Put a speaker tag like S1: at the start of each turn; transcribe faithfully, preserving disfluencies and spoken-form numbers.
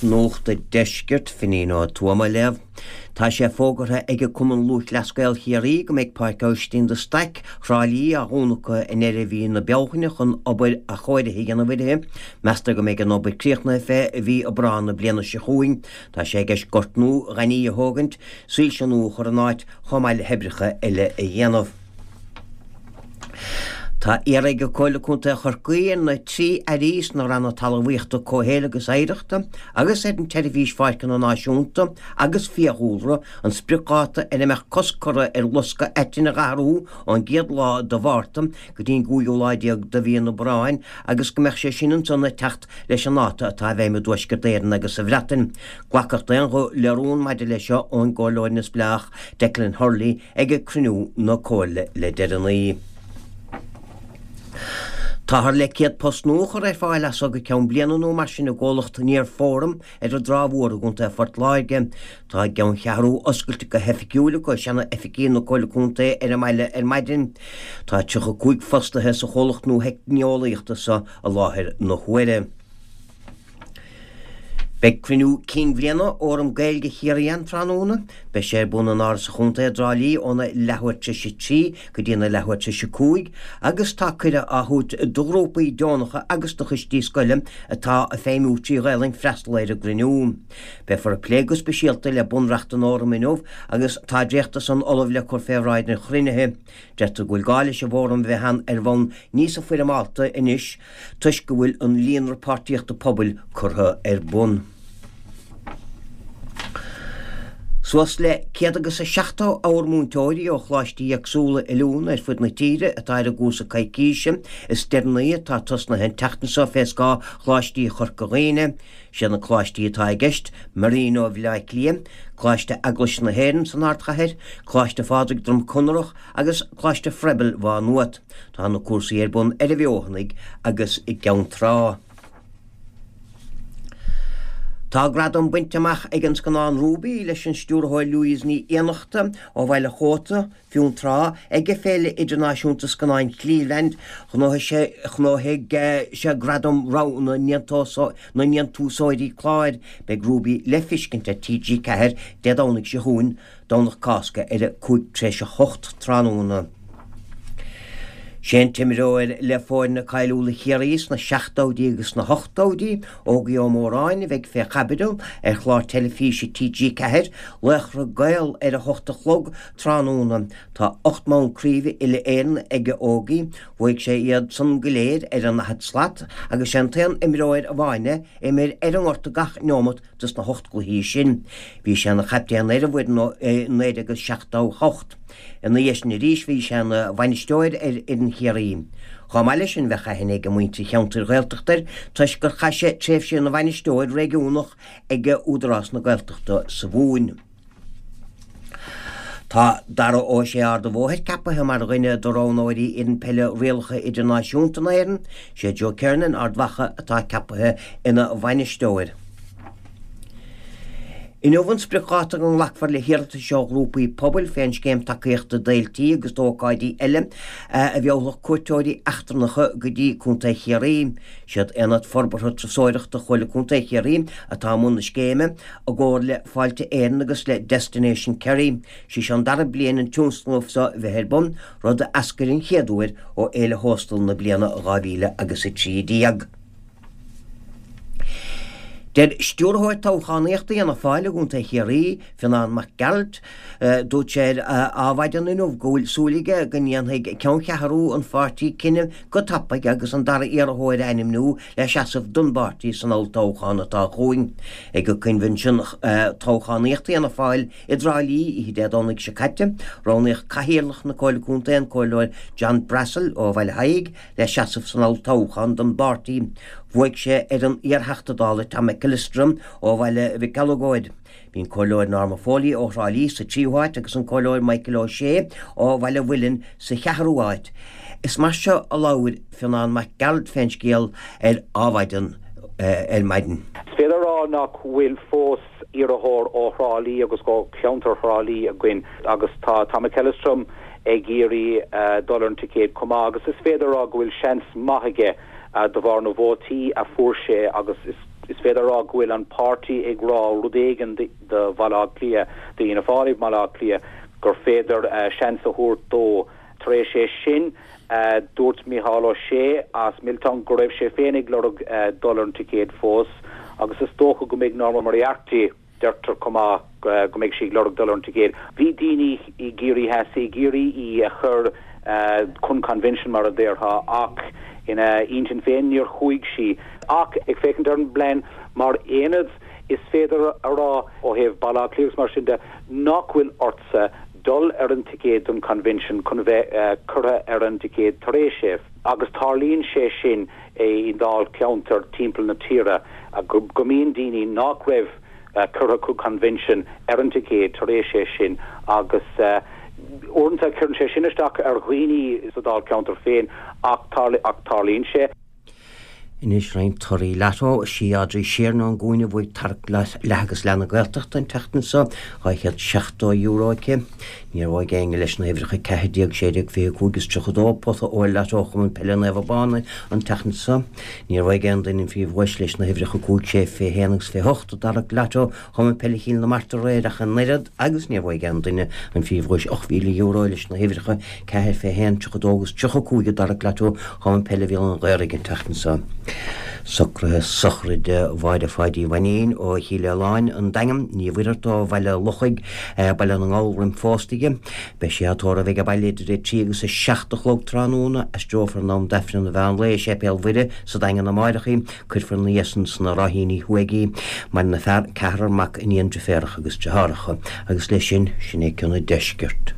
S1: Nuacht an Deiscirt, Finín Ó Tuama á léamh. Tá sé fógartha ag Cumann Lúthchleas Gael Chiarraí go mbeidh Páirc Aibhistín de Staic, Thrá Lí á dhúnadh acu i ndeireadh mhí na Bealtaine chun obair athchóirithe a dhéanamh uirthi. Meastar go mbeidh an obair críochnaithe fé mhí Aibreán na bliana seo chugainn. Tá sé i gceist gort nua gainimh a thógaint, soilse nua a chur in áit, chomh maith le hoibreacha eile a dhéanamh. Tá iarrtha ag Comhairle Contae Chorcaí ar na trí airí sna ranna talmhaíochta, comhshaoil agus oidhreachta agus ar an tSeirbhís Pháirceanna Náisiúnta agus Fiadhúlra an spriocdháta ar a mbeadh cosc curtha ar loscadh aitinn a dh'athrú ón gcéad lá de Mhárta go dtí an cúigiú lá déag de mhí an Aibreáin agus go mbeadh sé sin ansan ag teacht leis an dáta atá i bhfeidhm i dTuaisceart Éireann agus sa Bhreatain. Glacadh d'aon ghuth le rún maidir leis seo ón gComhairleoir neamhspleách Declan Hurley ag cruinniú na Comhairle le deireanaí. Táthar le céad post nua a chur ar fáil as so go ceann bliana nó mar sin i gcomhlacht Near Forum ar an dTrá Mhór i gContae Phort Láirge. Tá a gceanncheathrú oscailte go hoifigiúil acu i seana-oifigí na Comhairle Contae ar an mbaile ar maidin. Tá tríocha cúig fostaithe sa chomhlacht nua theicneolaíochta seo i láthair na huaire. Beidh cruinniú cinn bhliana Fhóram Gaeilge Chiarraí ann tráthnóna. Beidh sé ar bun in Áras an Chontae i dTrá Lí óna leathuair tar éis a trí go dtí na leathuair tar éis a cúig agus tá cuireadh á thabhairt do ghrúpaí deonacha agus do choistí scoile atá ag feidhmiú trí Ghaelainn freastal ar an gcruinniú. Beifear ag plé go speisialta le bunreacht an Fhóraim inniu agus tá dréacht de san ullamh le cur fé bhráid an chruinnithe. Deirtear go bhfuil gá leis an bhfóram a bheith ann ar bhonn níosa foirmeálta anois toisc go bhfuil an líonra páirtíochta pobail curtha ar bun. Suas le céad agus a seachtó abhar múinteoirí ó choláistí éagsúla oiliúna ar fud na tíre atá ar an gcúrsa coicíse is deireanaí atá tosnaithe an tseachtain seo fé scáth Choláistí Chorca Dhuibhne. Siad na coláistí atá i gceist, Marino Bhaile Átha Cliath, Coláiste Eaglais na hÉireann san Ardchathair, Coláiste Phádraig Droim Conrach agus Coláiste Froebel Mhá Nuad. Tá na cúrsaí ar bun ar an bhFeothanaigh agus i gCeann Trá. Tá gradam bainte amach ag an scannán Ruby leis an stiúrthóir Louise Ní Fhiannachta ó Bhaile Chóta, Fionntrá, ag Féile Idirnáisiúnta Scannáin Cleveland. Ghnóthaigh sé ghnóthaigh sé gradam rogha na ndéantúsóirí cláir. Beidh Ruby le feiscint ar TG Ceathair Dé Domhnaigh seo chugainn, Domhnach Cásca ar a cúig tar éis a hocht tráthnóna. Sé an t-imreoir le foirne cáiliúla Chiarraí sna seachtóidí agus sna hochtóidí, Ógie Ó Móráin, a bheidh fé chaibidil ar chlár teilifíse TG Ceathair, Laochra Gael ar a hocht a chlog tráthnóna. Tá ocht mbonn craoibhe uile-Éireann ag Ógie, bhuaigh sé iad san go léir ar an ndaichead slat agus sé an t-aon imreoir amháin é a imir ar an ngort gach neomat dos na hocht gcluichí sin. Bhí sé ina chaptaen ar an bhfoireann i naoi déag seachtó hocht. Ina dhiaidh sin arís bhí sé ina bhainisteoir ar fhoireann Chiarraí. Chomh maith leis sin bheadh aithne ag muintir cheantair Ghaeltachta air toisc gur chaith sé tréimhse ina bhainisteoir réigiúnach ag Údarás na Gaeltachta sa Mhumhain. Tá Dara Ó Sé Ard an Bhóthair ceapaithe mar dhuine de roghnóirí fhoireann peile rialacha idirnáisiúnta na hÉireann. Sé Joe Kernan Ard Mhacha atá ceapaithe ina bhainisteoir. Inniu an spriocdháta go nglacfar le hiarratais ó ghrúpaí pobail fén scéim tacaíochta d'fhéiltí agus d'ócáidí eile a mheallfadh cuairteoirí eachtrannacha go dtí Contae Chiarraí. Siad Aonad Forbartha Turasóireachta Chomhairle Contae Chiarraí atá i mbun na scéime, i gcomhar le Fáilte Éireann agus le Destination Kerry. Sí seo an dara bliain an tionscnamh seo bheith ar bun, rud a eascair an chéad uair ó Fhéile Thóstal na bliana dhá mhíle agus a trí déag. Deir Stiúrthóir Toghchánaíochta Fhianna Fáil i gContae Chiarraí, Fionán Mac Gearailt, dúirt sé ar Adhmhaidin inniu go bhfuil súil aige go ndéanfaidh ceanncheathrú an pháirtí cinneadh go tapaidh agus an dara iarrthóir a ainmniú le seasamh don bpáirtí san olltoghchán atá chugainn. Ag coinbhinsiún toghchánaíochta Fhianna Fáil i dTrá Lí oíche Dé Domhnaigh seo caite, roghnaíodh Cathaoirleach na Comhairle Contae, an Comhairleoir John Brassil ó Bhaile Thaidhg, le seasamh san olltoghchán don bpáirtí. Bhuaigh sé ar an iar-Theachta Dála Tom McEllistrim ó Bhaile Mhic Eileagóid. Bhí an Comhairleoir Norma Foley ó Thrá Lí sa tríú háit agus an Comhairleoir Michael O'Shea ó Bhaile Mhuilinn sa cheathrú háit. Is mar seo a labhair Fionán Mac Gearailt fén scéal ar Adhmhaidin ar maidin.
S2: Is féidir a rá nach bhfuil fós iarrthóir ó Thrá Lí agus ó cheantar Thrá Lí againn agus tá Tom McEllistrim ag iarraidh dul ar an ticéad chomh maith agus is féidir a rá go bhfuil seans maith aige de bharr na vótaí a fuair sé agus is Is féidir a rá go bhfuil an páirtí ag rá rud éigin do Bhaile Átha Cliath, do Fhianna Fáil i mBaile Átha Cliath, gur féidir seans a thabhairt dó. Tar éis é sin, dúirt Micheál Ó Sé as Milltown go raibh sé féin ag lorg dul ar an ticéad fós agus is dócha go mbeidh Norma Moriarty, deirtear chomh maith go mbeidh sí ag lorg dul ar an ticéad. Bhí daoine i gCiarraí Theas ag iarraidh í a chur chun convention mar a déarfá ach ina intinn féin níor chuaigh sí. Ach ag féachaint ar an bplean mar aonad is féidir a rá ó thaobh Baile Átha Cliath agus mar sin de nach bhfuil ortsa dul ar an ticéad don convention chun a bheith curtha ar an ticéad tar éis é. Agus tarlaíonn sé sin i ndáilcheantair timpeall na tíre go mbíonn daoine nach raibh curtha chuig convention ar an ticéad tar éis é sin agus uaireanta cuireann sé sin isteach ar dhaoine sa dáilcheantar féin ach tarlaíonn sé.
S1: Anois roinnt torthaí Lotto. Is í Audrey Sheerin ón gCuan a bhuaigh tarrac leath agus leath na Gaeltachta an tseachtain seo, dhá chéad seachtó euro aici. Níor bhuaigh éinne leis na huimhreacha ceathair déag, sé déag, fiche cúig is tríocha dó, pota óir Lotto Chumann Peile Naomh Abán an tseachtain seo. Níor bhuaigh aon duine an phríomhdhuais leis na huimhreacha cúig, sé, fiche haon agus fiche hocht i dtarrac Lotto Chumann Peile Chill na Martra aréir ach an oiread agus níor bhuaigh aon duine an phríomhdhuais ocht mhíle euro leis na huimhreacha ceathair, fiche haon, tríocha dó agus tríocha cúig i dtarrac Lotto Chumann Peile Bhéal an Ghaorthaidh an tseachtain seo. Socruithe sochraide Mháire Pháidí Mhainín ó Chill Aoláin, An Daingean, Ní Mhuircheartaigh ó Bhaile Lochaigh, Baile na nGall roim phósta di. Beidh sí á tórramh ag an baile idir a trí agus a seacht a chlog tráthnóna. Aistreofar in am d'Aifreann an mheán lae i Séipéal Mhuire sa Daingean amáireach í. Cuirfear ina dhiaidh san sna Ráithíní Thuaidh í. Maireann a fear, ceathrar mac, iníon, deirféaracha agus deartháireacha. Agus leis sin, sin é ceann an deiscirt.